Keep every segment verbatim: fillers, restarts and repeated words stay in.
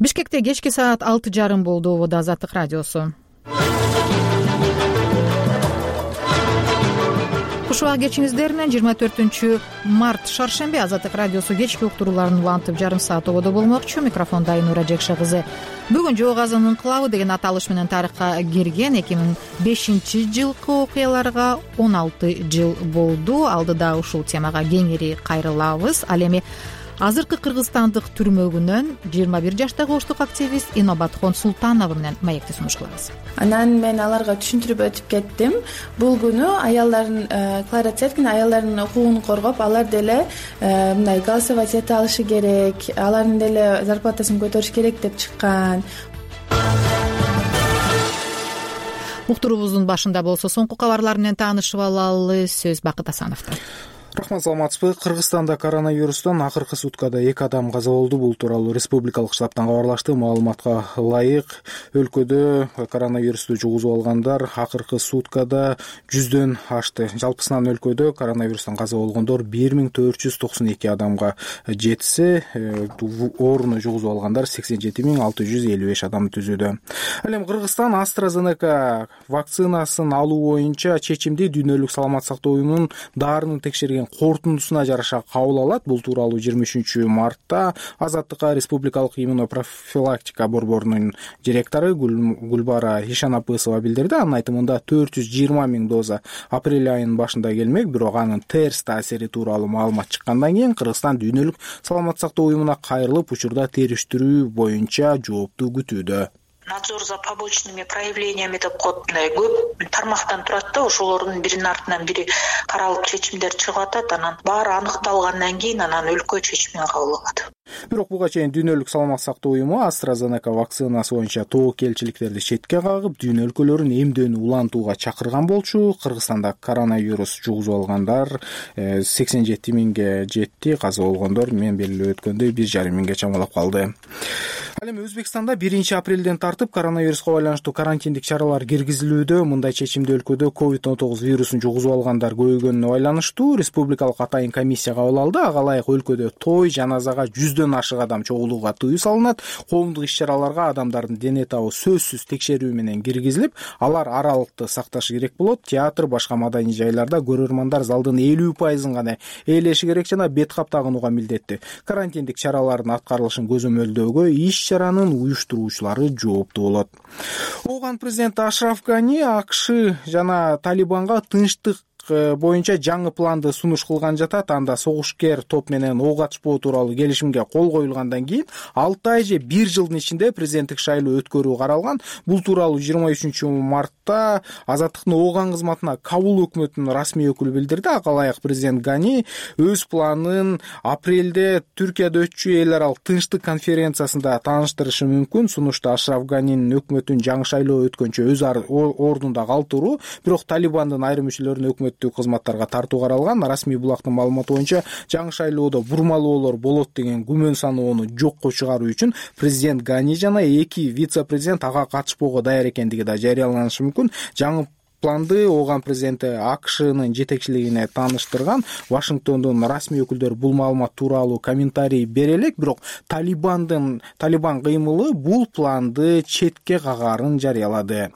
Бишкекте кечки саат алты жарым болду. Убада Азаттык радиосу. Куш убак кечиңиздер менен жыйырма төртүнчү март шаршемби Азаттык радиосу кечки уктурууларын улантып жарым саат ободо болмокчу. Микрофонда Айнура Жекше кызы. Бүгүн Жоо Казан инкылабы деген аталыш менен тарыхка кирген эки миң бешинчи жылкы окуяларга он алты жыл болду. Алдыда ушул темага кеңири кайрылабыз. Ал эми азыркы кыргызстандык түрмөгүнөн жыйырма бир жаштагы оштук активист Инобатхон Султанова менен маекти сунуш кылабыз. Анан мен аларга түшүндүрүп өтүп кеттим. Бул күнү аялдардын Клара Цеткин аялдардын укугун коргоп, алар деле мындай голосовать эте алышы керек, алардын деле зарплатасын көтөрүш керек деп чыккан. Уктуруубуздун башында болсо соңку кабарлар менен таанышып алалы. Сөз Бакыт Асановдо. Рахмат, саламатсызбы? Кыргызстанда коронавирустан акыркы суткада эки адам каза болду. Бул тууралуу республикалык штабтан кабарлашты. Маалыматка ылайык, өлкөдө коронавирусту жугузуп алгандар акыркы суткада жүздөн ашты. Жалпысынан өлкөдө коронавирустан каза болгондор бир миң төрт жүз токсон эки адамга жетсе, ооруну жугузуп алгандар сексен жети миң алты жүз элүү беш адамды түзүүдө. Ал эми Кыргызстан AstraZeneca вакцинасын алуу боюнча чечимди Дүйнөлүк саламаттык сактоо уюмунун дарыны текшерген корутундусуна жараша кабыл алат. Бул тууралуу жыйырма үчүнчү мартта Азаттыкка Республикалык иммунопрофилактика борборунун директору Гүлбара Ишанапысова билдирди. Анын айтымында төрт жүз жыйырма миң доза апрель айынын башында келмек, бирок анын терс таасири тууралуу маалымат чыккандан кийин Кыргызстан Дүйнөлүк саламаттык сактоо уюмуна кайрылып, учурда териштирүү боюнча жоопту күтүүдө. Надзор за побочными проявлениями деп коет, көп тармактан турат да, ошолордун биринин артынан бири каралып чечимдер чыгып атат. Анан баары аныкталгандан кийин анан өлкө чечимин кабыл алат. Бирок буга чейин Дүйнөлүк саламаттык сактоо уюму AstraZeneca вакцинасы боюнча тобокелчиликтерди четке кагып, дүйнө өлкөлөрүн эмдөөнү улантууга чакырган болчу. Кыргызстанда коронавирус жугузуп алгандар сексен жети миңге жетти, каза болгондор мен белгилеп өткөндөй бир жарым миңге чамалап калды. Ал эми Өзбекстанда биринчи апрелден тартып коронавируска байланыштуу карантиндик чаралар киргизилүүдө. Мындай чечимди өлкөдө ковид он тогуз вирусун жугузуп алгандар көбөйгөнүнө байланыштуу республикалык атайын комиссия кабыл алды. Ага ылайык өлкөдө той, жаназага жүздөн ашык адам чогулууга тыюу салынат. Коомдук иш-чараларга адамдардын дене табы сөзсүз текшерүү менен киргизилип, алар аралыкты сакташы керек болот. Театр, башка маданий жайларда көрөрмандар залдын элүү пайызын гана ээлеши керек жана бет кап тагынууга милдеттүү. Карантиндик чаралардын аткарылышын көзөмөлдөөгө иш-чаранын уюштуруучулары жооптуу болот. Ооган президенти Ашраф Гани АКШ жана Талибанга тынчтык боюнча жаңы планды сунуш кылган жатат. Анда согушкер топ менен ок атышпоо тууралуу келишимге кол коюлгандан кийин алты ай же бир жылдын ичинде президенттик шайлоо өткөрүү каралган. Бул тууралуу жыйырма үчүнчү мартта Азаттыктын Ооган кызматына Кабул өкмөтүнүн расмий өкүлү билдирди. Ага ылайык президент Гани өз планын апрелде Түркияда өтчү эл аралык тынчтык конференциясында тааныштырышы мүмкүн. Сунушта Ашраф Ганинин өкмөтүн жаңы шайлоо өткөнчө өз ордунда калтыруу, бирок Талибандын айрым мүчөлөрүн өкмөт кызматтарга тартуу каралган. Расмий булактын маалыматы боюнча жаңы шайлоодо бурмалоолор болот деген күмөн саноону жокко чыгаруу үчүн президент Гани жана эки вице-президент ага катышпоого даяр экендиги да жарыяланышы мүмкүн. Жаңы планды Ооган президенти АКШнын жетекчилигине тааныштырган. Вашингтондун расмий өкүлдөрү бул маалымат тууралуу комментарий бере элек, бирок Талибандын Талибан кыймылы бул планды четке кагарын жарыялады.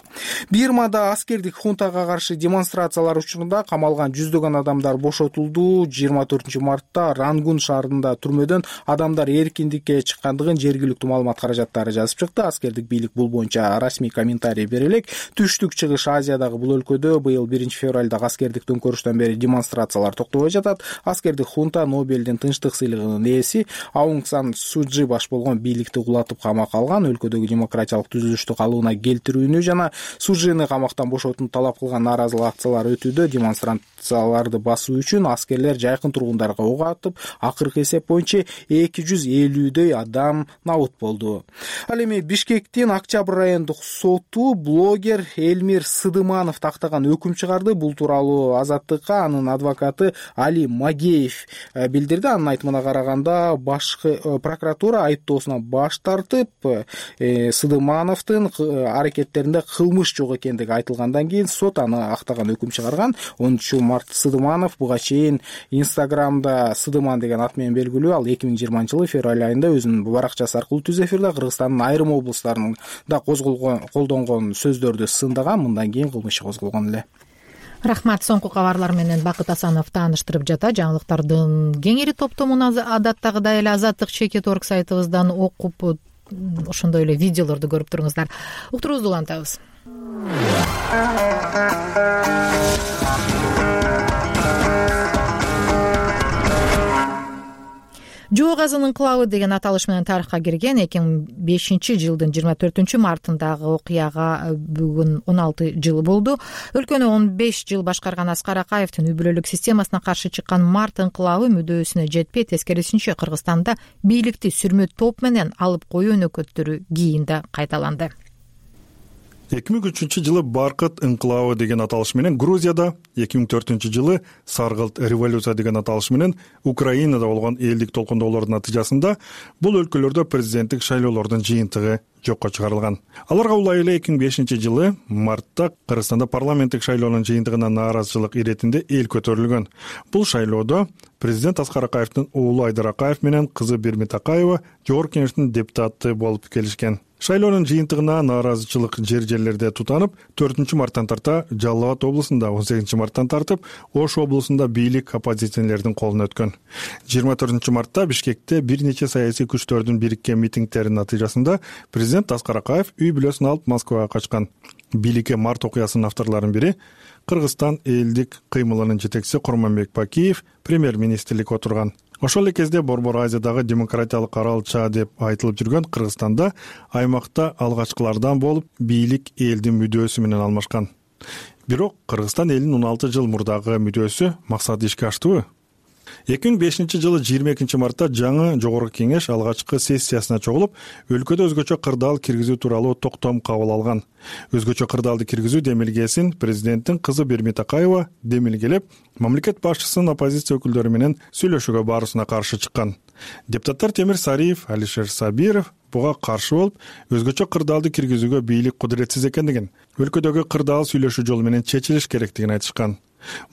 Бирмада аскердик хунтага каршы демонстрациялар учурунда камалган жүздөгөн адамдар бошотулду. жыйырма төртүнчү мартта Рангун шаарында түрмөдөн адамдар эркиндикке чыккандыгын жергиликтүү маалымат каражаттары жазып чыкты. Аскердик бийлик бул боюнча расмий комментарий бере элек. Түштүк чыгыш Азиядагы бул өлкөдө быйыл биринчи февралда аскердик төңкөрүштөн бери демонстрациялар токтобой жатат. Аскердик хунта Нобелдин тынчтык сыйлыгынын ээси Аунг Сан Сужи баш болгон бийликти кулатып камакка алган. Өлкөдөгү демократиялык түзүлүштү калыбына келтирүүнү жана Сужини камактан бошотууну талап кылган нааразылык акциялар өтүүдө. Демонстрацияларды басуу үчүн аскерлер жайкын тургундарга ок атып, акыркы эсеп боюнча эки жүз элүүдөй адам набыт болду. Ал эми Бишкектин Октябрь райондук соту блогер Элмир Сыдыманов тактаган өкүм чыгарды. Бул тууралуу Азаттыкка анын адвокаты Али Магеев билдирди. Анын айтымына караганда башкы прокуратура айыптоосунан баш тартып, Сыдымановдун аракеттеринде кылмыш жок экендиги айтылгандан кийин сот аны актаган өкүм чыгарган. онунчу март Сыдыманов буга чейин Инстаграмда Сыдыман деген ат менен белгилүү. Ал эки миң жыйырманчы жылы февраль айында өзүнүн баракчасы аркылуу түз эфирде Кыргызстандын айрым облустарында козголгон колдонгон сөздөрдү сындаган. Мындан кийин кылмыш козголгон эле. Рахмат. Соңку кабарлар менен Бакыт Асанов тааныштырып жата. Жаңылыктардын кеңири топтомун адаттагыдай эле Азаттык чекит точка орг сайтыбыздан окуп, ошондой эле видеолорду көрүп туруңуздар. Уктуруубузду улантабыз. Жоо газынын ынкылабы деген аталыш менен тарыхка кирген эки миң бешинчи жылдын жыйырма төртүнчү мартындагы окуяга бүгүн он алты жыл болду. Өлкөнү он беш жыл башкарган Аскар Акаевдин үй бүлөлүк системасына каршы чыккан март ынкылабы мүдөөсүнө жетпей, тескерисинче Кыргызстанда бийликти сүрмө топ менен алып коюу өнөкөттөрү кийинде кайталанды. эки миң үчүнчү жылы Баркыт ынкылабы деген аталыш менен Грузияда, эки миң төртүнчү жылы Саргылт революция деген аталыш менен Украинада болгон элдик толкундоолордун натыйжасында бул өлкөлөрдө президенттик шайлоолордун жыйынтыгы жокко чыгарылган. Аларга улай эле эки миң бешинчи жылы мартта Кыргызстанда парламенттик шайлоонун жыйынтыгына нааразычылык иретинде эл көтөрүлгөн. Бул шайлоодо президент Аскар Акаевдин уулу Айдар Акаев менен кызы Бермит Акаева Жогорку Кеңештин депутаты болуп келишкен. Шайлоонун жыйынтыгына нааразычылык жер-жерлерде тутанып, төртүнчү марттан тарта Жалал Абад облусунда, он сегизинчи марттан тартып Ош облусунда бийлик оппозиционерлердин колуна өткөн. жыйырма төртүнчү мартта Бишкекте бир нече саясий күчтөрдүн бириккен митингдеринин натыйжасында президент Аскар Акаев үй бүлөсүн алып Москвага качкан. Бийликке март окуясынын авторлорунун бири Кыргызстан элдик кыймылынын жетекчиси Курманбек Бакиев премьер-министрлик отурган. Ошол эле кезде Борбор Азиядагы демократиялык аралча деп айтылып жүргөн Кыргызстанда аймакта алгачкылардан болуп бийлик элдин мүдөөсү менен алмашкан. Бирок Кыргызстан элинин он алты жыл мурдагы мүдөөсү максаты ишке аштыбы? эки миң бешинчи жылы жыйырма экинчи мартта жаңы Жогорку Кеңеш алгачкы сессиясына чогулуп, өлкөдө өзгөчө кырдаал киргизүү тууралуу токтом кабыл алган. Өзгөчө кырдаалды киргизүү демилгесин президенттин кызы Бермит Акаева демилгелеп, мамлекет башчысынын оппозиция өкүлдөрү менен сүйлөшүүгө баруусуна каршы чыккан. Депутаттар Темир Сариев, Алишер Сабиров буга каршы болуп, өзгөчө кырдаалды киргизүүгө бийлик кудуретсиз экендигин, өлкөдөгү кырдаал сүйлөшүү жолу менен чечилиш керектигин айтышкан.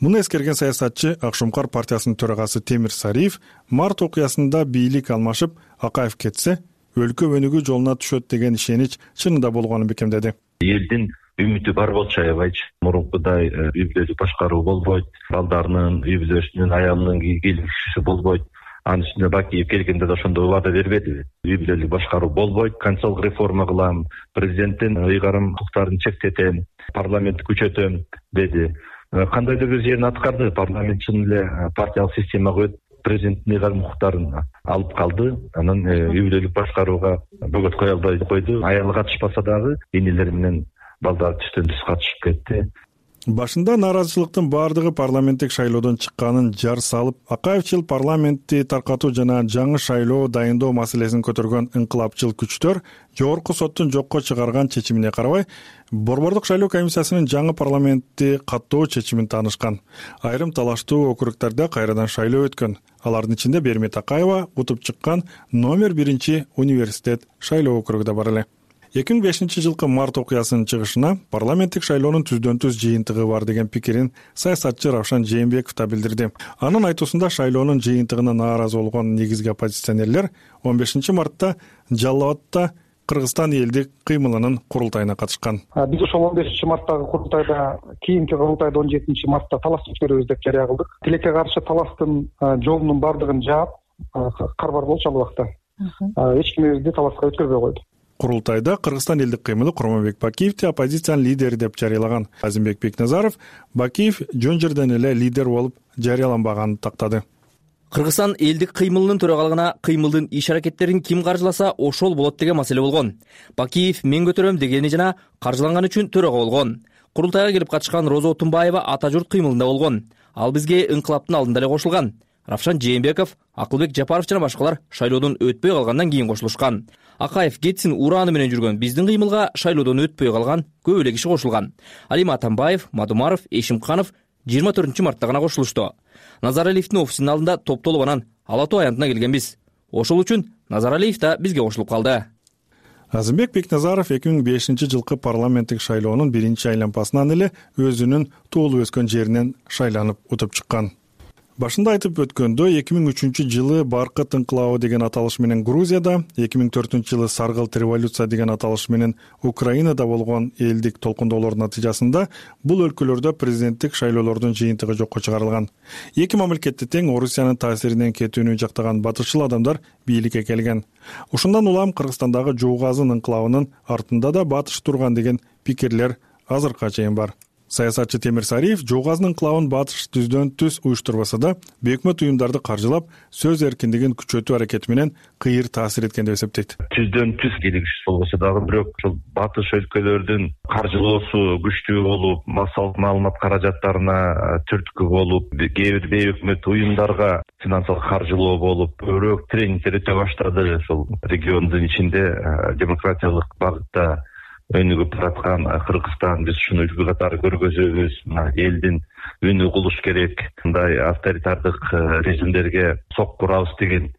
Муну эскерген саясатчы Акшумкар партиясынын төрагасы Темир Сариев март окуясында бийлик алмашып, Акаев кетсе, өлкө өнүгүү жолуна түшөт деген ишенич чынында болгонун бекемдеди. Элдин үмүтү бар болчу аябайчы. Мурункудай үй бүлөлүк башкаруу болбойт, балдарынын, үй бүлөсүнүн, аялынын келишүүсү болбойт. Анын үстүнө Бакиев келгенде да ошондой убада бербеди. Үй бүлөлүк башкаруу болбойт, конституциялык реформа кылам, президенттин ыйгарым укуктарын чектетем, парламентти күчөтөм деди. Кандайдыр бир жерин аткарды, парламент чын эле партиялык системага өтүп, президенттин ыйгарым укуктарын алып калды. Анан үй бүлөлүк башкарууга бөгөт кое албай койду. Аялы катышпаса дагы энелери менен балдары түстөн түз катышып кетти. Башында нааразычылыктын баардыгы парламенттик шайлоодон чыкканын жар салып, Акаев жыл парламентти таркатуу жана жаңы шайлоо дайындоо маселесин көтөргөн ынкылапчыл күчтөр Жогорку соттун жокко чыгарган чечимине карабай, Борбордук шайлоо комиссиясынын жаңы парламентти каттоо чечимин таанышкан. Айрым талаштуу округдарда кайрадан шайлоо өткөн. Алардын ичинде Бермит Акаева утуп чыккан номер биринчи университет шайлоо округу да бар эле. эки миң бешинчи жылкы март окуясынын чыгышына парламенттик шайлоонун түздөн түз жыйынтыгы бар деген пикирин саясатчы Равшан Жээнбеков да билдирди. Анын айтуусунда шайлоонун жыйынтыгына нааразы болгон негизги оппозиционерлер он бешинчи мартта Жалал Абадта Кыргызстан элдик кыймылынын курултайына катышкан. Биз ошол он бешинчи марттагы курултайда, кийинки курултайда он жетинчи мартта талаш өткөрөбүз деп жарыя кылдык. Тилекке каршы талаштын жолунун бардыгын жаап, карбар болчу ал убакта. Эч ким бизди талашка өткөрбөй койду. Курултайда Кыргызстан элдик кыймылы Курманбек Бакиевди оппозициянын лидери деп жарыялаган. Азимбек Бекназаров Бакиев жөн жерден эле лидер болуп жарыяланбаганын тактады. Кыргызстан элдик кыймылынын төрагалыгына кыймылдын иш-аракеттерин ким каржыласа ошол болот деген маселе болгон. Бакиев мен көтөрөм дегени жана каржыланган үчүн төрага болгон. Курултайга келип катышкан Роза Отунбаева ата журт кыймылында болгон. Ал бизге ыңкылаптын алдында эле кошулган. Равшан Жээнбеков, Акылбек Жапаров жана башкалар шайлоодон өтпөй калгандан кийин кошулушкан. Акаев кетсин ураны менен жүргөн биздин кыймылга шайлоодон өтпөй калган көп эле киши кошулган. Алим Атамбаев, Мадумаров, Эшимканов жыйырма төртүнчү мартта гана кошулушту. Назаралиевдин офисинин алдында топтолуп анан Ала Тоо аянтына келгенбиз. Ошол үчүн Назаралиев да бизге кошулуп калды. Азымбек Бекназаров эки миң бешинчи жылкы парламенттик шайлоонун биринчи айланпасынан эле өзүнүн туулуп өскөн жеринен шайланып утуп чыккан. Башында айтып өткөндөй, эки миң үчүнчү жылы Баркыт инкылабы деген аталыш менен Грузияда, эки миң төртүнчү жылы Саргылт революция деген аталыш менен Украинада болгон элдик толкундоолордун натыйжасында бул өлкөлөрдө президенттик шайлоолордун жыйынтыгы жокко чыгарылган. Эки мамлекетте тең Орусиянын таасиринен кетүүнү жактаган батышчыл адамдар бийликке келген. Ошондон улам Кыргызстандагы Жуугазын инкылабынын артында да батыш турган деген пикирлер азыркыга чейин бар. Саясатчы Темир Сариев Жуугазын инкылабын батыш түздөн түз уюштурбаса да, бейөкмөт уюмдарды каржылап, сөз эркиндигин күчөтүү аракети менен кыйыр таасир эткен деп эсептейт. Түздөн түз келишиш болбосо дагы бирок ушул батыш өлкөлөрдүн каржылоосу күчтүү болуп, массалык маалымат каражаттарына түрткү болуп, кээ бир бейөкмөт уюмдарга финансылык каржылоо болуп, көбүрөөк тренингдер өтө баштады. Ошол региондун ичинде демократиялык багытта өнүгүп бараткан Кыргызстан биз ушуну үлгү катары көргөзөбүз. Элдин үнү угулуш керек, мындай авторитардык режимдерге сокку урабыз деген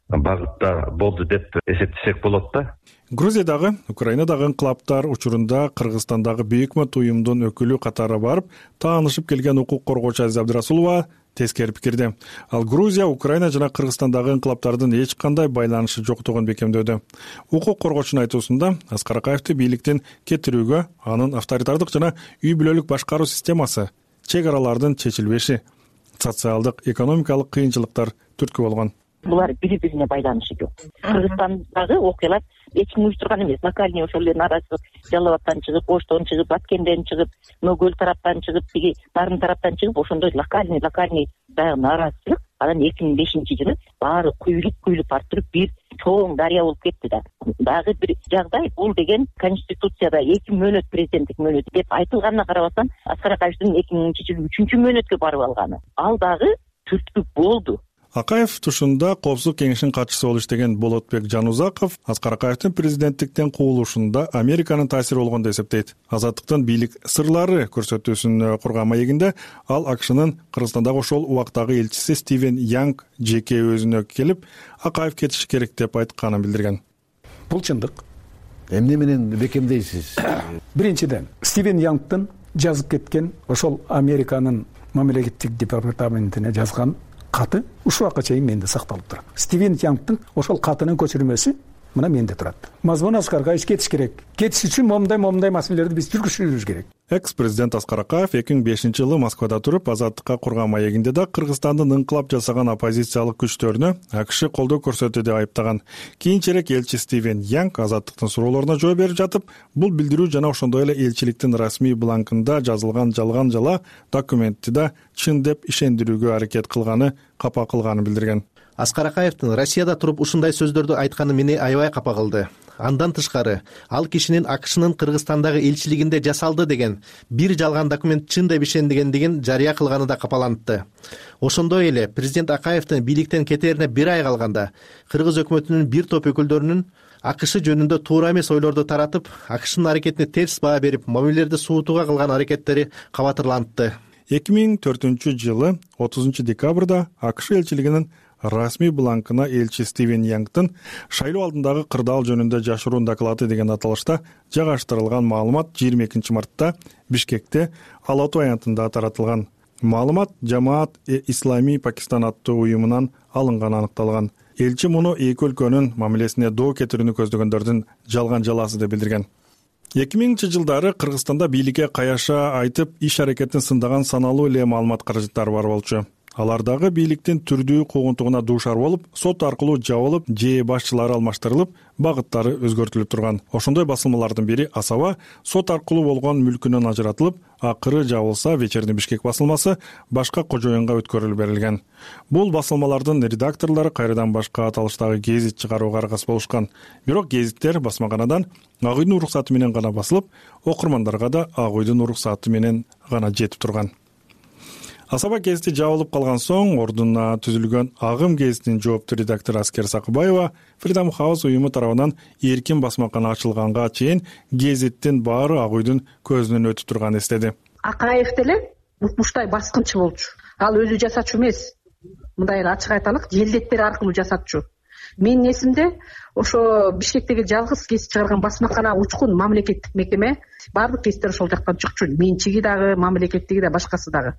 багытта болду деп эсептесек болот да. Грузиядагы, Украинадагы инкылаптар учурунда Кыргызстандагы бейөкмөт уюмдун өкүлү катары барып таанышып келген укук коргоочу Азиз Абдрасулова тескери пикирде. Ал Грузия, Украина жана Кыргызстандагы инкылаптардын эч кандай байланышы жоктугун бекемдөдү. Укук коргоочунун айтуусунда Аскар Акаевди бийликтен кетирүүгө анын авторитардык жана үй бүлөлүк башкаруу системасы, чек аралардын чечилбеши, социалдык, экономикалык кыйынчылыктар түрткү болгон. Булар бири-бирине байланышы жок. Кыргызстандагы окуялар эч ким уюштурган эмес. Локальный ошол эле нааразычылык Жалал абадтан чыгып, Оштон чыгып, Баткенден чыгып, Нөгөл тараптан чыгып, тиги Нарын тараптан чыгып, ошондой локальный локальный дагы нааразычылык анан эки миң бешинчи жылы баары куюлуп куюлуп барып туруп бир чоң дарыя болуп кетти да. Дагы бир жагдай, бул деген Конституцияда эки мөөнөт президенттик мөөнөт деп айтылганына карабастан, Аскар Акаевдин эки миңинчи жылы үчүнчү мөөнөткө барып алганы. Ал дагы түрткү болду. Акаев тушунда Коопсуздук кеңешинин катчысы болуп иштеген Болотбек Жанузаков Аскар Акаевдин президенттиктен куулушунда Американын таасири болгон деп эсептейт. Азаттыктын бийлик сырлары көрсөтүүсүн курган маегинде ал АКШнын Кыргызстандагы ошол убактагы элчиси Стивен Янг жеке өзүнө келип, Акаев кетиши керек деп айтканын билдирген. Бул чындык. Эмне менен бекемдейсиз? Биринчиден, Стивен Янгдын жазып кеткен ошол Американын мамлекеттик департаментине жазган каты ушул убакка чейин менде сакталып турат. Стивен Янгдын ошол катынын көчүрмөсү мына менде турат. Мазмун Аскар Акаев кетиш керек. Кетиш үчүн момундай момундай маселелерди биз жүргүзүшүбүз керек. Экс-президент Аскар Акаев эки миң бешинчи жылы Москвада туруп, Азаттыкка курган маегинде да Кыргызстандын инкылап жасаган оппозициялык күчтөрүнө АКШ колдоо көрсөттү деп айыптаган. Кийинчерээк элчи Стивен Янг Азаттыктын суроолоруна жооп берип жатып, бул билдирүү жана ошондой эле элчиликтин расмий бланкында жазылган жалган жала документти да чын деп ишендирүүгө аракет кылганы капа кылганын билдирген. Аскар Акаевдин Россияда туруп ушундай сөздөрдү айтканы мени аябай капа кылды. Андан тышкары, ал кишинин АКШнын Кыргызстандагы элчилигинде жасалды деген бир жалган документ чын деп ишендигендигин жарыя кылганы да капалантты. Ошондой эле президент Акаевдин бийликтен кетерине бир ай калганда кыргыз өкмөтүнүн бир топ өкүлдөрүнүн АКШ жөнүндө туура эмес ойлорду таратып, АКШнын аракетине терс баа берип, мамилелерди суутууга кылган аракеттери кабатырлантты. эки миң төртүнчү жылы отузунчу декабрда АКШ элчилигинин расмий бланкына элчи Стивен Янгдын шайлоо алдындагы кырдаал жөнүндө жашыруун доклады деген аталышта жагаштырылган маалымат жыйырма экинчи мартта Бишкекте Ала Тоо аянтында таратылган. Маалымат Жамаат э Ислами Пакистан аттуу уюмунан алынганы аныкталган. Элчи муну эки өлкөнүн мамилесине доо кетирүүнү көздөгөндөрдүн жалган жаласы деп билдирген. эки миңинчи жылдары Кыргызстанда бийликке каяша айтып, иш аракетин сындаган саналуу эле маалымат каражаттары бар болчу. Алардагы бийликтин түрдүү куугунтугуна дуушар болуп, сот аркылуу жабылып, же башчылары алмаштырылып, багыттары өзгөртүлүп турган. Ошондой басылмалардын бири Асаба сот аркылуу болгон мүлкүнөн ажыратылып, акыры жабылса, Вечерний Бишкек басылмасы башка кожоюнга өткөрүлүп берилген. Бул басылмалардын редакторлору кайрадан башка аталыштагы гезит чыгарууга аргасыз болушкан. Бирок гезиттер басмаканадан Ак үйдүн уруксаты менен гана басылып, окурмандарга да Ак үйдүн уруксаты менен гана жетип турган. Асаба гезити жабылып калган соң ордуна түзүлгөн Агым гезитинин жоопту редактору Аскер Сакыбаева Freedom House уюму тарабынан эркин басмакана ачылганга чейин гезиттин баары Ак үйдүн көзүнөн өтүп турганын эстеди. Акаев деле укмуштай баскынчы болчу. Ал өзү жасачу эмес. Мындай эле ачык айталык, желдеттер аркылуу жасатчу. Менин эсимде ошо Бишкектеги жалгыз гезит чыгарган басмакана учкун мамлекеттик мекеме, баардык гезиттер ошол жактан чыкчу. Менчиги дагы, мамлекеттиги да, башкасы дагы.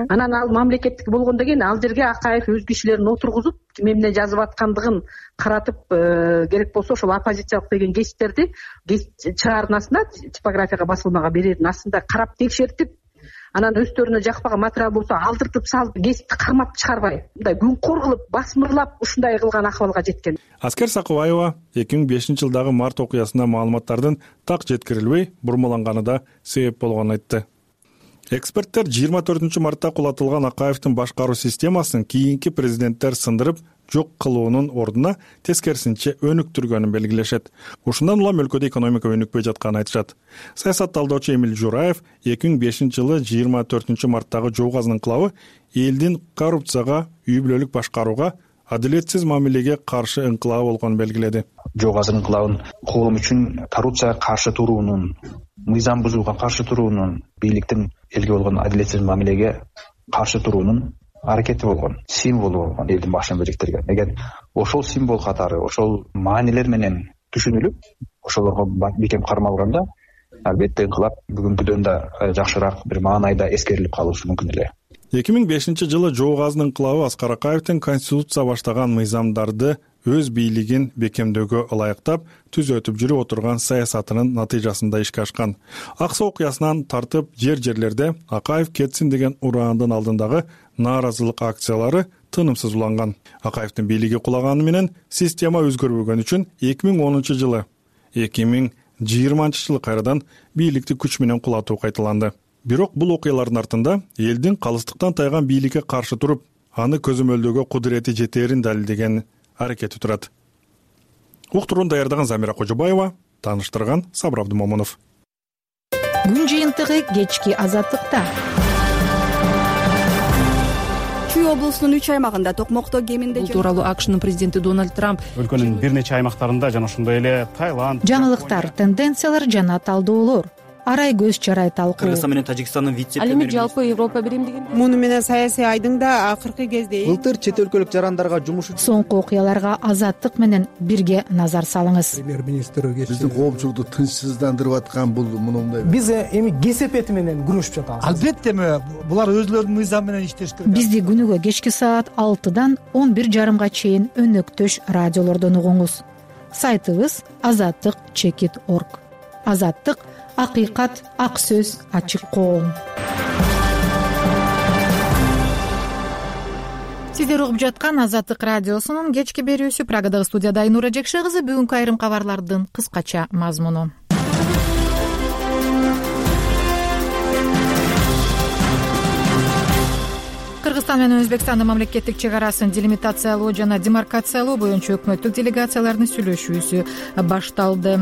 Анан ал мамлекеттик болгондон кийин ал жерге Акаев өз кишилерин отургузуп, ким эмне жазып аткандыгын каратып, керек болсо ошол оппозициялык деген гезиттерди гезит чыгарнасына, типографияга басылмага берердин астында карап текшертип, анан өздөрүнө жакпаган материал болсо алдыртып салып, гезитти кармап чыгарбай, мындай күнкор кылып, басмырлап ушундай кылган акыбалга жеткен. Аскер Сакыбаева эки миң бешинчи жылдагы март окуясына маалыматтардын так жеткирилбей бурмаланганы да себеп болгонун айтты. Эксперттер жыйырма төртүнчү мартта кулатылган Акаевдин башкаруу системасын кийинки президенттер сындырып жок кылуунун ордуна тескерисинче өнүктүргөнүн белгилешет. Ушундан улам өлкөдө экономика өнүкпөй жатканын айтышат. Саясат талдоочу Эмил Жураев эки миң бешинчи жылы жыйырма төртүнчү марттагы Жоогаз инкылабы элдин коррупцияга, үй бүлөлүк башкарууга, адилетсиз мамилеге каршы инкылабы болгонун белгиледи. Жоогаз инкылабын коом үчүн коррупцияга каршы туруунун, мыйзам бузууга каршы туруунун, бийликтин элге болгон адилетсиз мамилеге каршы туруунун аракети болгон, символу болгон элдин башын бириктирген. Эгер ошол символ катары, ошол маанилер менен түшүнүлүп, ошолорго бекем кармалганда, албетте инкылап бүгүнкүдөн да жакшыраак бир маанайда эскерилип калышы мүмкүн эле. эки миң бешинчи жылы Жогаздын инкылабы Аскар Акаевдин конституция баштаган мыйзамдарды өз бийлигин бекемдөөгө ылайыктап түзөтүп жүрүп отурган саясатынын натыйжасында ишке ашкан. Аксы окуясынан тартып жер жерлерде Акаев кетсин деген ураандын алдындагы нааразылык акциялары тынымсыз уланган. Акаевдин бийлиги кулаганы менен система өзгөрбөгөн үчүн эки миң онунчу жылы, эки миң жыйырманчы жылы кайрадан бийликти күч менен кулатуу кайталанды. Бирок бул окуялардын артында элдин калыстыктан тайган бийликке каршы туруп, аны көзөмөлдөөгө кудурети жетээрин далилдеген аракети турат. Уктурууну даярдаган Замира Кожобаева, тааныштырган Сабыр Абдымомунов. Күн жыйынтыгы кечки азаттыкта. Чүй облусунун үч аймагында токмокто кеминде бул тууралуу АКШнын президенти Дональд Трамп өлкөнүн бир нече аймактарында жана ошондой эле Таиланд, жаңылыктар, тенденциялар жана талдоолор, арай көз чарай талкуу. Кыргызстан менен Тажикстандын вице ал эми жалпы Европа биримдигинде муну менен саясий айдыңда акыркы кезде былтыр чет өлкөлүк жарандарга жумуш соңку окуяларга азаттык менен бирге назар салыңыз. Премьер-министр биздин коомчулукту тынчсыздандырып аткан бул мындай. Биз эми кесепети менен күрөшүп жатабыз. Албетте булар өзлөрүнүн мыйзам менен иштеш керек. Бизди күнүгө кечки саат алтыдан он бир жарымга чейин өнөктөш радиолордон угуңуз. Сайтыбыз азаттык чекит точка орг. Азаттык акыйкат, ак сөз, ачык коом. Сиздер угуп жаткан Азаттык радиосунун кечки берүүсү. Прагадагы студияда Айнура Жекше кызы. Бүгүнкү айрым кабарлардын кыскача мазмуну. Кыргызстан менен Өзбекстандын мамлекеттик чек арасын делимитациялоо жана демаркациялоо боюнча өкмөттүк делегациялардын сүйлөшүүсү башталды.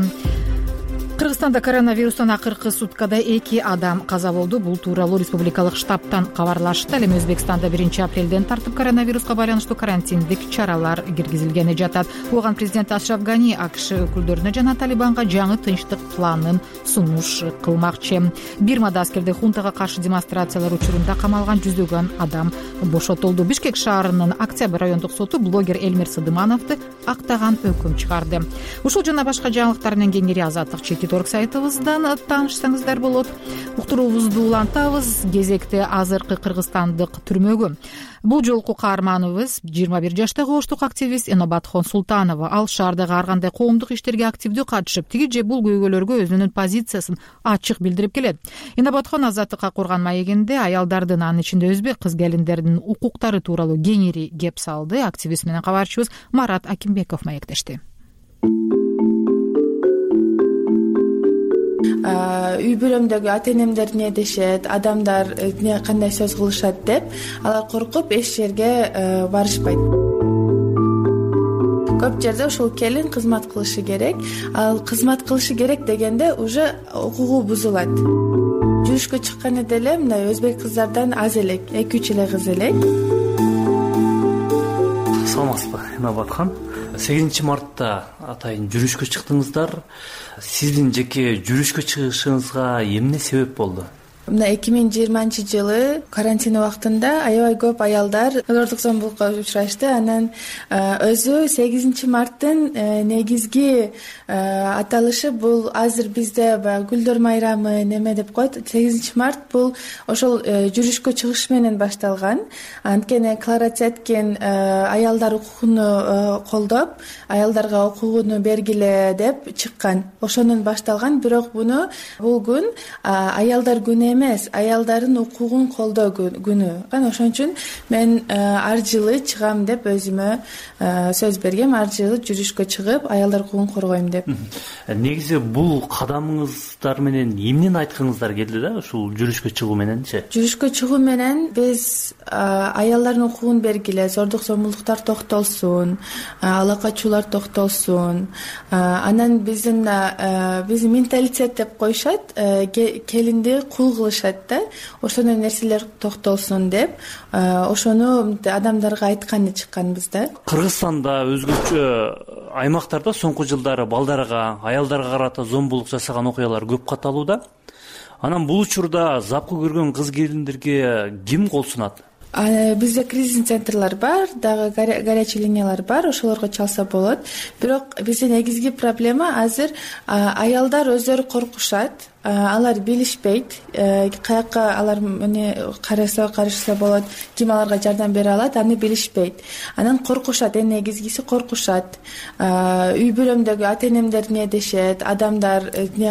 Кыргызстанда коронавирустан акыркы суткада эки адам каза болду. Бул тууралуу республикалык штабтан кабарлашты. Ал эми Өзбекстанда биринчи апрелден тартып коронавируска байланыштуу карантиндик чаралар киргизилгени жатат. Оған президент Ашраф Гани АКШ өкүлдөрүнө жана Талибанга жаңы тынчтык планын сунуш кылмакчы. Бирмада аскердик хунтага каршы демонстрациялар учурунда камалган жүздөгөн адам бошотулду. Бишкек шаарынын Октябрь райондук соту блогер Эльмир Сыдымановду актаган өкүм чыгарды. Ушул жана башка жаңылыктар менен кеңири Азаттык чекит точка орг сайтыбыздан таанышсаңыздар болот. Уктуруубузду улантабыз. Кезекте азыркы кыргызстандык түрмөгө. Бул жолку каарманыбыз жыйырма бир жаштагы оштук активист Энобатхон Султанова. Ал шаардагы ар кандай коомдук иштерге активдүү катышып, тиги же бул көйгөйлөргө өзүнүн позициясын ачык билдирип келет. Энобатхон Азаттыкка курган маегинде аялдардын, анын ичинде өзбек кыз-келиндердин укуктары тууралуу кеңири кеп салды. Активист менен кабарчыбыз Марат Акимбеков маектешти. Үй бүлөмдөгү ата энемдер эмне дешет, адамдар кандай сөз кылышат деп, алар коркуп эч жерге барышпайт. Көп жерде ошол келин кызмат кылышы керек, ал кызмат кылышы керек дегенде уже укугу бузулат. Жүз жүрүшкө чыкканы деле мындай өзбек кыздардан аз элек, эки үч эле кыз элек. Саламатсызбы, Инабаткан. сегизинчи мартта атайын жүрүшкө чыктыңыздар. Сиздин жеке жүрүшкө чыгышыңызга эмне себеп болду? Мына эки миң жыйырманчы жылы карантин убактында аябай көп аялдар зордук зомбулукка учурашты. Анан өзү сегизинчи марттын негизги аталышы бул азыр бизде баягы гүлдөр майрамы неме деп коет. сегизинчи март бул ошол жүрүшкө чыгыш менен башталган. Анткени Клара Цеткин аялдар укугуну колдоп, аялдарга укугуну бергиле деп чыккан. Ошонун башталган, бирок буну бул күн аялдар күнү эмес, аялдардын укугун колдоо күнү. Ошон үчүн мен ар жылы чыгам деп өзүмө сөз бергем. Ар жылы жүрүшкө чыгып, аялдар укугун коргойм деп. Негизи бул кадамыңыздар менен эмнени айткыңыздар келди да, ушул жүрүшкө чыгуу мененчи? Жүрүшкө чыгуу менен биз аялдардын укугун бергиле, зордук зомбулуктар токтолсун, ала качуулар токтолсун. Анан биздин биздин менталитет деп коюшат, келинди кул кылышат да, ошондой нерселер токтолсун деп, ошону адамдарга айтканы чыкканбыз да. Кыргызстанда өзгөчө аймактарда соңку жылдары балдарга, аялдарга карата зомбулук жасаган окуялар көп катталууда. Анан бул учурда запкы көргөн кыз келиндерге ким кол сунат? Бизде кризисный центрлар бар, дагы горячий линиялар бар, ошолорго чалса болот. Бирок бизде негизги проблема азыр аялдар өздөрү коркушат. Алар билишпейт, каякка алар мени караса карышса болот, ким аларга жардам бере алат, аны билишпейт. Анан коркушат, эң негизгиси коркушат. Үй бүлөмдөгү ата-энемдер эмне дешет, адамдар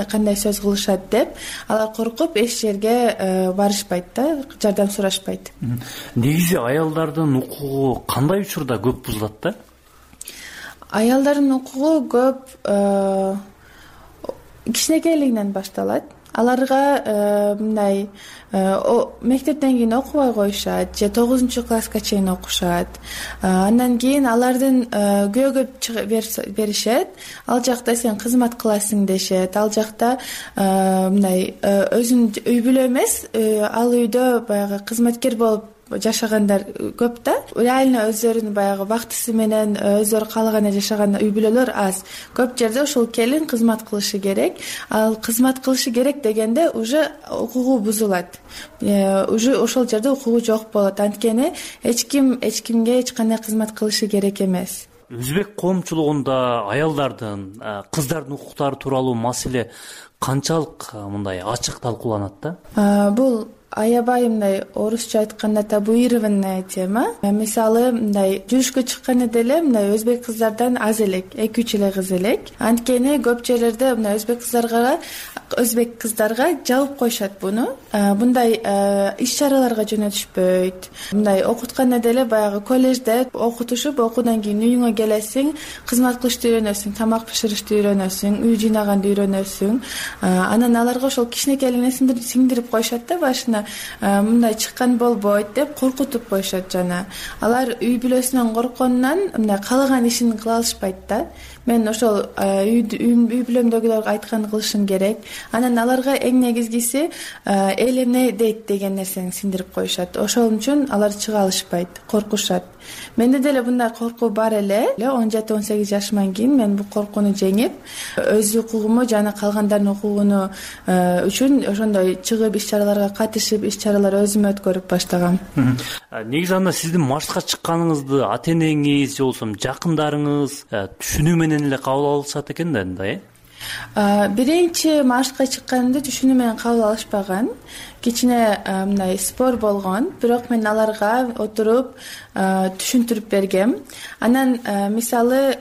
кандай сөз кылышат деп, алар коркуп эч жерге барышпайт да, жардам сурашпайт. Негизи аялдардын укугу кандай учурда көп бузулат да? Аялдардын укугу көп кичинекейлигинен башталат. Аларга мындай мектептен кийин окубай коюшат, же тогузунчу класска чейин окушат. Андан кийин алардын күйөөгө беришет. Ал жакта сен кызмат кыласың дешет. Ал жакта мындай өзүн үй бүлө эмес, ал үйдө баягы кызматкер болуп жашагандар көп да. Реально өздөрүнүн баягы бактысы менен өздөрү каалагандай жашаган үй бүлөлөр аз. Көп жерде ошол келин кызмат кылышы керек. Ал кызмат кылышы керек дегенде уже укугу бузулат. Уже ошол жерде укугу жок болот. Анткени эч ким эч кимге эч кандай кызмат кылышы керек эмес. Өзбек коомчулугунда аялдардын, кыздардын укуктары тууралуу маселе канчалык мындай ачык талкууланат да? Бул аябай мындай орусча айтканда табуированная тема. Мисалы мындай жүрүшкө чыкканы деле мындай өзбек кыздардан аз элек, эки үч эле кыз элек. Анткени көп жерлерде мындай өзбек кыздарга өзбек кыздарга жабып коюшат буну. Мындай иш чараларга жөнөтүшпөйт. Мындай окутканда деле баягы коллежде окутушуп, окуудан кийин үйүңө келесиң, кызмат кылышты үйрөнөсүң, тамак бышырышты үйрөнөсүң, үй жыйнаганды үйрөнөсүң. Анан аларга ошол кичинекейлигине сиңдирип коюшат да башына. Мындай чыккан болбойт деп коркутуп коюшат жана. Алар үй бүлөсүнөн коркконунан мындай каалаган ишин кыла алышпайт да. Мен ошол үй бүлөмдөгүлөргө айтканды кылышым керек. Анан аларга эң негизгиси эл эмне дейт деген нерсени сиңдирип коюшат. Ошол үчүн алар чыга алышпайт, коркушат. Менде деле мындай коркуу бар эле. он жети он сегиз жашыман кийин мен бул коркууну жеңип, өз укугуму жана калгандардын укугуну үчүн ошондой чыгып иш чараларга катышып, иш чаралар өзүм өткөрүп баштагам. Негизи анда сиздин маршка чыкканыңызды ата-энеңиз же болбосо жакындарыңыз түшүнүү менен эле кабыл алышат экен да анда, э? Биринчи маршка чыкканымды түшүнүү менен кабыл алышпаган. Кичине мындай спор болгон, бирок мен аларга отуруп түшүндүрүп бергем. Анан мисалы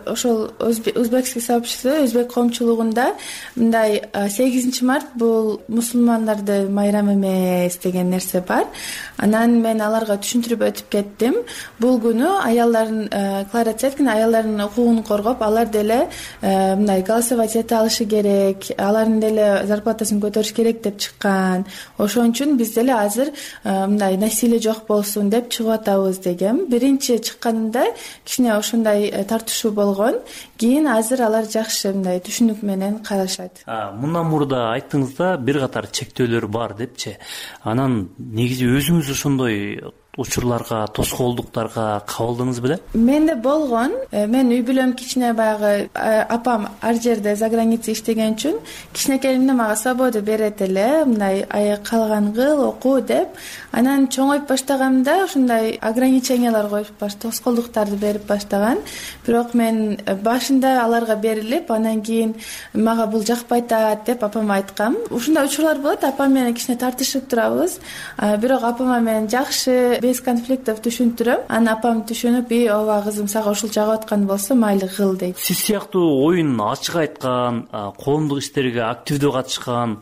ошол өзбекский сообщество, өзбек коомчулугунда мындай сегизинчи март бул мусулмандардын майрамы эмес деген нерсе бар. Анан мен аларга түшүндүрүп өтүп кеттим. Бул күнү аялдардын Клара Цеткин аялдардын укугун коргоп, алар деле мындай голосовать эте алышы керек, алардын деле зарплатасын көтөрүш керек деп чыккан. ошон үчүн биз деле азыр мындай насилие жок болсун деп чыгып атабыз дегем. Биринчи чыкканында кичине ошондой тартышуу болгон, кийин азыр алар жакшы мындай түшүнүк менен карашат. Мындан мурда айттыңыз да бир катар чектөөлөр бар депчи. Анан негизи өзүңүз ошондой учурларга, тоскоолдуктарга кабылдыңыз беле? Менде болгон. Мен үй бүлөм кичине баягы апам ар жерде за граница иштеген үчүн кичинекейимде мага свобода берет эле, мындай каалаган кыл, оку деп. Анан чоңоюп баштаганда ушундай ограничениялар коюп баш, тоскоолдуктарды берип баштаган. Бирок мен башында аларга берилип, анан кийин мага бул жакпай атат деп апама айткам. Ушундай учурлар болот, апам менен кичине тартышып турабыз. Бирок апама мен жакшы без конфликтов түшүндүрөм. Анан апам түшүнүп, "И, ооба кызым, сага ушул жагып аткан болсо, майлы кыл" дейт. Сиз сыяктуу оюн ачык айткан, коомдук иштерге активдүү катышкан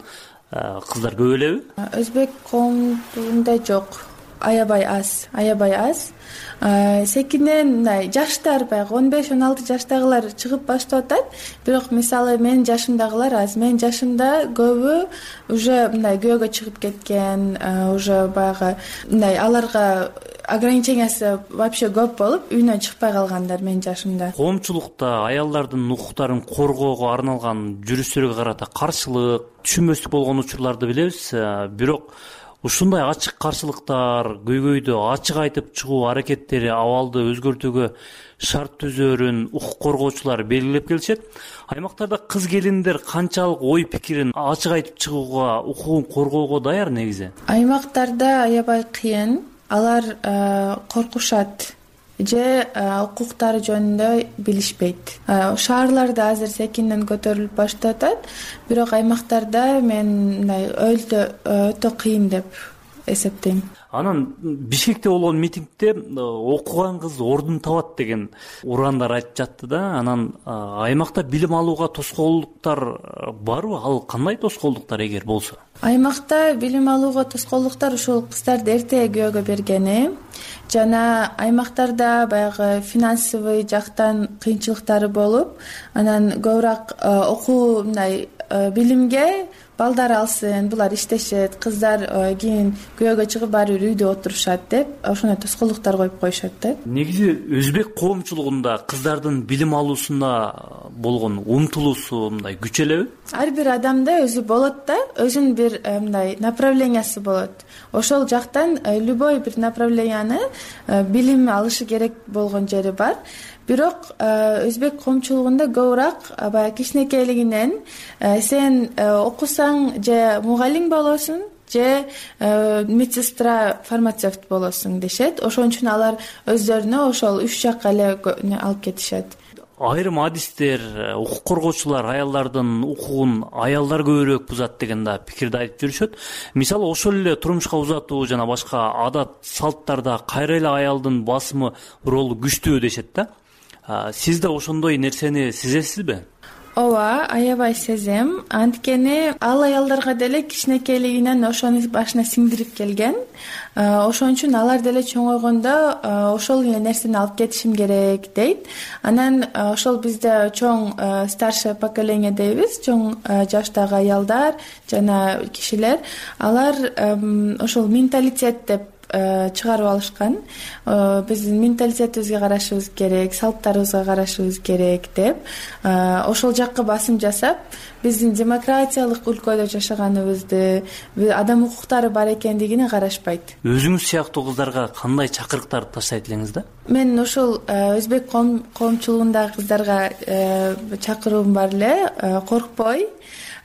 кыздар көп элеби? Өзбек коомунда жок. Аябай аз, аябай аз. Секинен мындай жаштар баягы он беш он алты жаштагылар чыгып баштап атат. Бирок мисалы менин жашымдагылар аз. Менин жашымда көбү уже мындай күйөөгө чыгып кеткен, уже баягы мындай аларга ограничениясы вообще көп болуп, үйүнөн чыкпай калгандар менин жашымда. Коомчулукта аялдардын укуктарын коргоого арналган жүрүштөргө карата каршылык, түшүнбөстүк болгон учурларды билебиз. Бирок ушундай ачык каршылыктар, көйгөйдү ачык айтып чыгуу аракеттери абалды өзгөртүүгө шарт түзөөрүн укук коргоочулар белгилеп келишет. Аймактарда кыз келиндер канчалык ой пикирин ачык айтып чыгууга, укугун коргоого даяр негизи? Аймактарда аябай кыйын. Алар коркушат же укуктары жөнүндө билишпейт. Шаарларда азыр секинден көтөрүлүп баштап атат, бирок аймактарда мен мындай өтө өтө кыйын деп эсептейм. Анан Бишкекте болгон митингде окуган кыз ордун табат деген урандар айтып жатты да. Анан аймакта билим алууга тоскоолдуктар барбы? Ал кандай тоскоолдуктар эгер болсо? Аймакта билим алууга тоскоолдуктар ушул кыздарды эрте күйөөгө бергени жана аймактарда баягы финансовый жактан кыйынчылыктары болуп, анан көбүрөөк окуу мындай билимге балдар алсын, булар иштешет, кыздар кийин күйөөгө чыгып баары бир үйдө отурушат деп ошондой тоскоолдуктар коюп коюшат да. Негизи өзбек коомчулугунда кыздардын билим алуусуна болгон умтулуусу мындай күчөлөбү? Ар бир адамда өзү болот да, өзүнүн бир мындай направлениясы болот. Ошол жактан любой бир направленияны билим алышы керек болгон жери бар. Бирок өзбек коомчулугунда көбүрөөк баягы кичинекейлигинен сен окусаң же мугалим болосуң, же медсестра, фармацевт болосуң дешет. Ошон үчүн алар өздөрүнө ошол үч жакка эле алып кетишет. Айрым адистер, укук коргоочулар аялдардын укугун аялдар көбүрөөк бузат деген да пикирди айтып жүрүшөт. Мисалы ошол эле турмушка узатуу жана башка адат салттарда кайра эле аялдын басымы ролу күчтүү дешет да. Сиз да ошондой нерсени сезесизби? Ооба, аябай сезем. Анткени ал аялдарга деле кичинекейлигинен ошону башына сиңдирип келген. Ошон үчүн алар деле чоңойгондо ошол эле нерсени алып кетишим керек дейт. Анан ошол бизде чоң старшее поколение дейбиз, чоң жаштагы аялдар жана кишилер, алар ошол менталитет деп чыгарып алышкан. Биздин менталитетибизге карашыбыз керек, салттарыбызга карашыбыз керек деп ошол жакка басым жасап, биздин демократиялык өлкөдө жашаганыбызды, адам укуктары бар экендигине карашпайт. Өзүңүз сыяктуу кыздарга кандай чакырыктарды таштайт элеңиз да? Мен ошол өзбек коомчулугундагы кыздарга чакыруум бар эле, коркпой,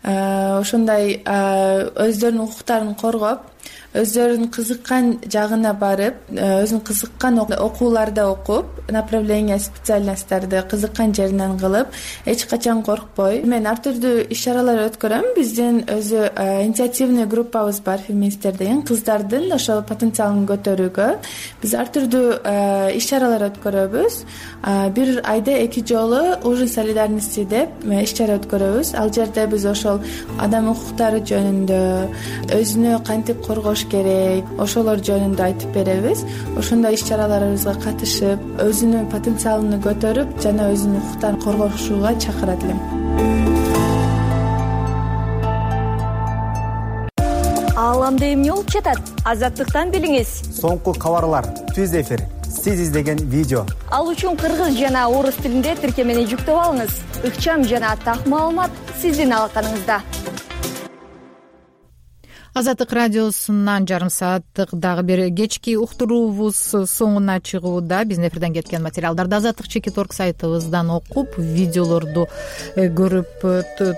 ошондой өздөрүнүн укуктарын коргоп, өздөрүнүн кызыккан жагына барып, өзүнүн кызыккан окууларда окуп, направление специальностьтарды кызыккан жеринен кылып, эч качан коркпой. Мен ар түрдүү иш-чаралар өткөрөм. Биздин өзү инициативный группабыз бар, феминисттер деген, кыздардын ошол потенциалын көтөрүүгө биз ар түрдүү иш-чаралар өткөрөбүз. Бир айда эки жолу ужин солидарности деп иш-чара өткөрөбүз. Ал жерде биз ошол адам укуктары жөнүндө, өзүнө кантип коргош керек, ошолор жөнүндө айтып беребиз. Ошондой иш-чараларыбызга катышып, өзүнүн потенциалын көтөрүп жана өзүнүн укуктарын коргошууга чакырат элем. бааламда эмне болуп жатат? Азаттыктан билиңиз. Соңку кабарлар, түз эфир, сиз издеген видео. Ал үчүн кыргыз жана орус тилинде тиркемени жүктөп алыңыз. Ыкчам жана так маалымат сиздин алаканыңызда. Азаттык радиосунан жарым сааттык дагы бир кечки уктуруубуз соңуна чыгууда. Биздин эфирден кеткен материалдарды азаттык чекит орг сайтыбыздан окуп, видеолорду көрүп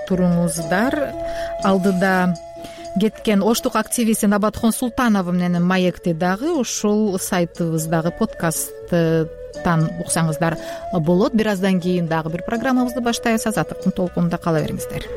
туруңуздар. Алдыда кеткен оштук активисти Набатхон Султанова менен маекти дагы ушул сайтыбыздагы подкасттан уксаңыздар болот. Бир аздан кийин дагы бир программабызды баштайбыз. Азаттыктын толкунунда кала бериңиздер.